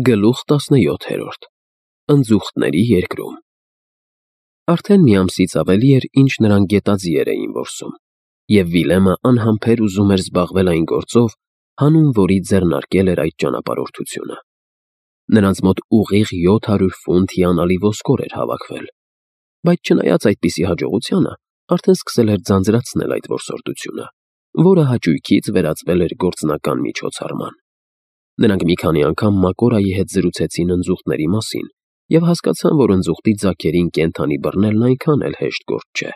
Գլուխ 17 Ընձուղտների երկրում Արդեն մի ամսից ավելի էր, ինչ նրանք գետաձիեր էին որսում, և Վիլեմը անհամբեր ուզում էր զբաղվել այն գործով, հանուն որի ձեռնարկել էր այդ ճանապարհորդությունը։ Նրանց մոտ ուղիղ 700 ֆունտ հիանալի ոսկոր էր հավաքվել, բայց չնայած այդպիսի հաջողությանը, արդեն սկսել էր ձանձրացնել այդ որսորդությունը, որը հաճույքից վերածվել էր գործնական միջոցառման։ Նրանք մի քանի անգամ Մակորայի հետ զրուցեցին ընձուղտների մասին և հասկացան, որ ընձուղտի ձագերին կենդանի բռնելն այնքան էլ հեշտ գործ չէ։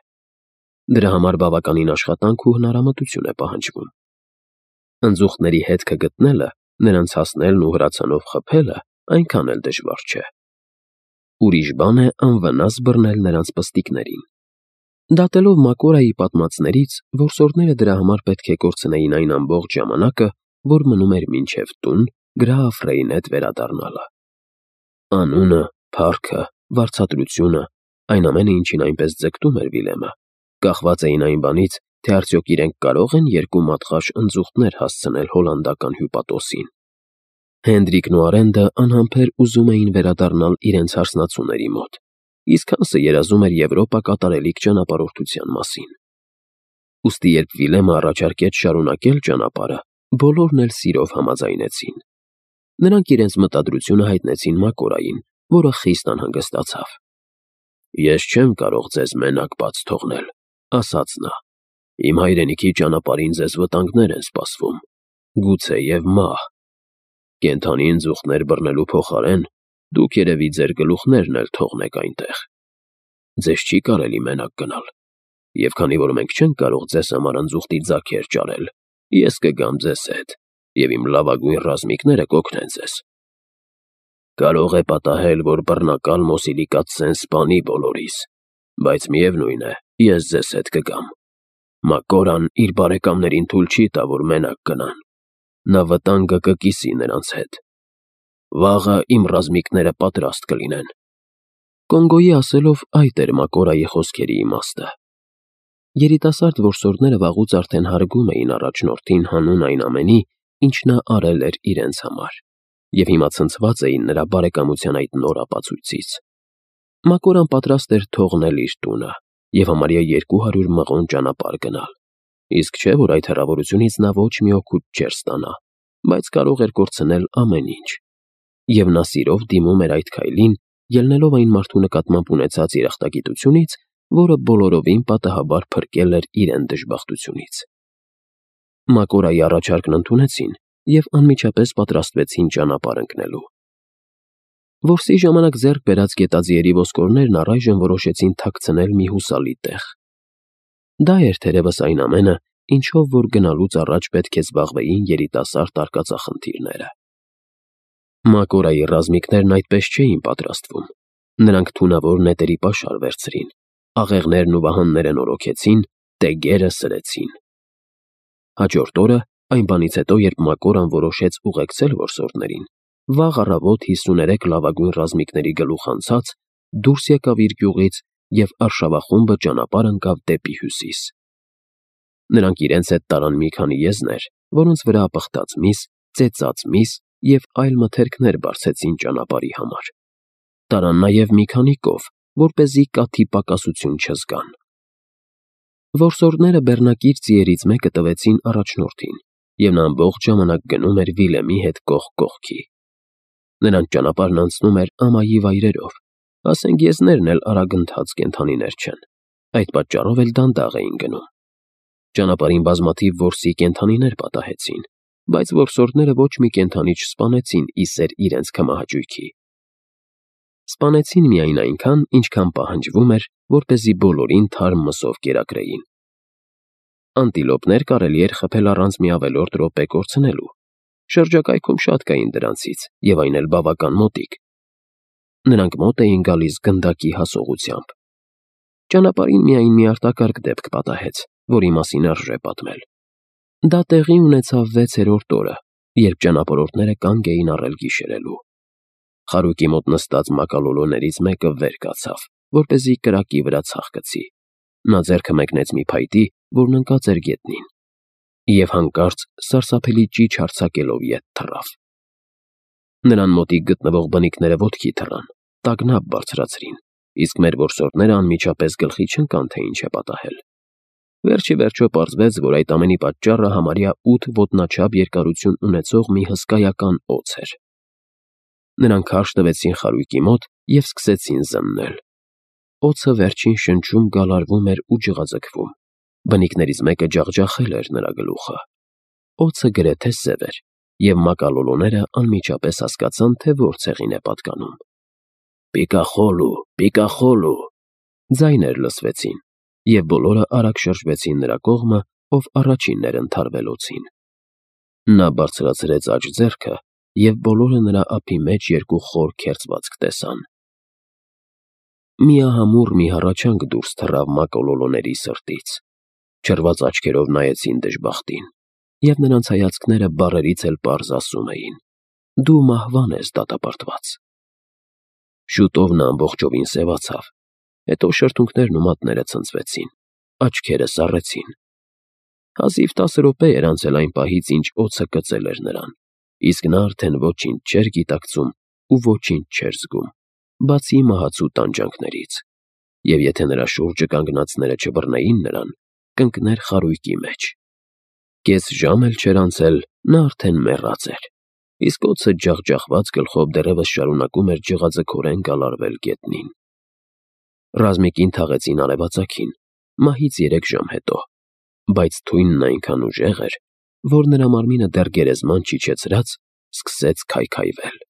Դրա համար բավականին աշխատանք ու հնարամտություն է պահանջվում։ Ընձուղտների հետքը գտնելը, նրանց հասնելն ու հրացանով խփելը այնքան էլ դժվար չէ։ Ուրիշ բան է անվնաս բռնել նրանց պստիկներին։ Դատելով Մակորայի պատմածներից, որսորդները դրա համար պետք է կորցնեին այն ամբողջ ժամանակը, որ մնում էր մինչև տուն գրաֆ Ռեյն հետ վերադառնալը։ Անունը, փառքը, վարձատրությունը, այն ամենը, ինչին այնպես ձգտում էր Վիլեմը, կախված էին այն բանից, թե արդյոք իրենք կարող են երկու մատղաշ ընձուղտներ հասցնել հոլանդական հյուպատոսին։ Հենդրիկն ու Արենդը անհամբեր ուզում էին վերադառնալ իրենց հարսնացուների մոտ, իսկ Հանսը երազում էր Եվրոպա կատարելիք ճանապարհորդության մասին։ Ուստի երբ Վիլեմը առաջարկեց շարունակել ճանապարհը, բոլորն էլ սիրով համաձայնեցին։ Նրանք իրենց մտադրությունը հայտնեցին Մակորային, որը խիստ անհանգստացավ։ «Ես չեմ կարող ձեզ մենակ բաց թողնել», ասաց նա։ «Իմ հայրենիքի ճանապարհին ձեզ վտանգներ են սպասվում, գուցեև մահ։ Կենդանի ընձուղտներ բռնելու փոխարեն դուք երևի ձեր գլուխներն էլ թողնեք այնտեղ։ Ձեզ չի կարելի մենակ գնալ, և քանի որ մենք չենք կարող ձեզ համար ընձուղտի ձագեր ճարել, ես կգամ ձեզ հետ, և իմ լավագույն ռազմիկները կօգնեն ձեզ։ Կարող է պատահել, որ բռնակալ Մոսիլիկացեն սպանի բոլորիս, բայց միևնույն է, ես ձեզ հետ կգամ։ Մակորան իր բարեկամներին թույլ չի տա, որ մենակ գնան։ Նա վտանգը կկիսի նրանց հետ։ Վաղը իմ ռազմիկները պատրաստ կլինեն»։ Կոնգոյի ասելով այդ էր Մակորայի խոսքերի իմաստը։ Երիտասարդ որսորդները վաղուց արդեն հարգում էին առաջնորդին հանուն այն ամենի, ինչ նա արել էր իրենց համար, և հիմա ցնցված էին նրա բարեկամության այդ նոր ապացույցից։ Մակորան պատրաստ էր թողնել իր տունը և համարյա 200 մղոն ճանապարհ գնալ, իսկ չէ, որ այդ հեռավորությունից նա ոչ մի օգուտ չէր ստանա, բայց կարող էր կորցնել ամեն ինչ։ Եվ նա սիրով դիմում էր այդ քայլին, ելնելով այն մարդու նկատմամբ ունեցած երախտագիտությունից, որը բոլորովին պատահաբար փրկել էր իրեն դժբախտությունից։ Մակորայի առաջարկն ընդունեցին և անմիջապես պատրաստվեցին ճանապարհ ընկնելու։ Որսի ժամանակ ձեռք բերած գետաձիերի ոսկորներն առայժմ որոշեցին թաքցնել մի հուսալի տեղ։ Դա էր թերևս այն ամենը, ինչով որ գնալուց առաջ պետք է զբաղվեին երիտասարդ արկածախնդիրները։ Մակորայի ռազմիկներն այդպես չէին պատրաստվում։ Նրանք թունավոր նետերի պաշար վերցրին, աղեղներն ու վահանները նորոգեցին, տեգերը սրեցին։ Հաջորդ օրը, այն բանից հետո, երբ Մակորան որոշեց ուղեկցել որսորդներին, վաղ առավոտ 53 լավագույն ռազմիկների գլուխ անցած դուրս եկավ իր գյուղից և արշավախումբը ճանապարհ ընկավ դեպի հյուսիս։ Նրանք իրենց հետ տարան մի քանի եզներ, որոնց վրա պղտած միս, ծեծած միս և այլ մթերքներ բարձեցին ճանապարհի համար։ Տարան նաև մի քանի կով, որպեսզի կաթի պակասություն չզգան։ Որսորդները բեռնակիր ձիերից մեկը տվեցին առաջնորդին, և նա ամբողջ ժամանակ գնում էր Վիլեմի հետ կողք կողքի։ Նրանց ճանապարհն անցնում էր ամայի վայրերով, ասենք եզներն էլ արագընթաց կենդանիներ չեն, այդ պատճառով էլ դանդաղ էին գնում։ Ճանապարհին բազմաթիվ որսի կենդանիներ պատահեցին, բայց որսորդները ոչ մի կենդանի չսպանեցին ի սեր իրենց քմահաճույքի։ Սպանեցին միայն այնքան, ինչքան պահանջվում էր, որպեսզի բոլորին թարմ մսով կերակրեին։ Անտիլոպներ կարելի էր խփել առանց մի ավելորդ րոպե կորցնելու։ Շրջակայքում շատ կային դրանցից, և այն էլ բավական մոտիկ։ Նրանք մոտ էին գալիս գնդակի հասողությամբ։ Ճանապարհին միայն մի արտակարգ դեպք պատահեց, որի մասին արժե պատմել։ Դա տեղի ունեցավ 6-րդ օրը, երբ ճանապարհորդները կանգ էին առել գիշերելու։ Խարույկի մոտ նստած մակալոլոներից մեկը վեր կացավ, որպեսզի կրակի վրա ցախ գցի։ Նա ձեռքը մեկնեց մի փայտի, որն ընկած էր գետնին, և հանկարծ սարսափելի ճիչ արձակելով ետ թռավ։ Նրան մոտիկ գտնվող բնիկները ոտքի թռան, տագնապ բարձրացրին, իսկ մեր որսորդները անմիջապես գլխի չընկան, թե ինչ է պատահել։ Վերջի վերջո պարզվեց, որ այդ ամենի պատճառը համարյա 8 ոտնաչափ երկարություն ունեցող մի հսկայական օձ էր։ Նրանք քարշ տվեցին խարույկի մոտ և սկսեցին զննել։ Օձը վերջին շնչում գալարվում էր ու ջղաձգվում։ Բնիկներից մեկը ջախջախել էր նրա գլուխը։ Օձը գրեթե սև էր, և մակալոլոները անմիջապես հասկացան, թե որ ցեղին է պատկանում։ «Պիկախոլու, պիկախոլու» ձայներ լսվեցին, և բոլորը արագ շրջվեցին նրա կողմը, ով առաջինն էր ընդհարվել օձին։ Նա բարձրացրեց աջ ձեռքը, և բոլորը նրա ափի մեջ երկու խոր քերծվածք տեսան։ Միահամուռ մի հառաչանք դուրս թռավ մակոլոլոների սրտից։ Չռված աչքերով նայեցին դժբախտին, և նրանց հայացքները բառերից էլ պարզ ասում էին. «Դու մահվան ես դատապարտված»։ Շուտով նա ամբողջովին սևացավ, հետո շրթունքներն ու մատները ցնցվեցին, աչքերը սառեցին։ Հազիվ 10 րոպե էր անցել այն պահից, ինչ օձը կծել էր նրան, իսկ նա արդեն ոչինչ չէր գիտակցում ու ոչինչ չէր զգում, բացի մահացու տանջանքներից, և եթե նրա շուրջը կանգնածները չբռնեին նրան, կընկներ խարույկի մեջ։ Կես ժամ էլ չէր անցել, նա արդեն մեռած էր, իսկ օձը ջախջախված գլխով դեռևս շարունակում էր ջղաձգորեն գալարվել գետնին։ Ռազմիկին թաղեցին արևածագին, մահից 3 ժամ հետո, բայց թույնն այնքան ուժեղ էր, որ նրա մարմինը դեռ գերեզման չիջեցրած սկսեց քայքայվել։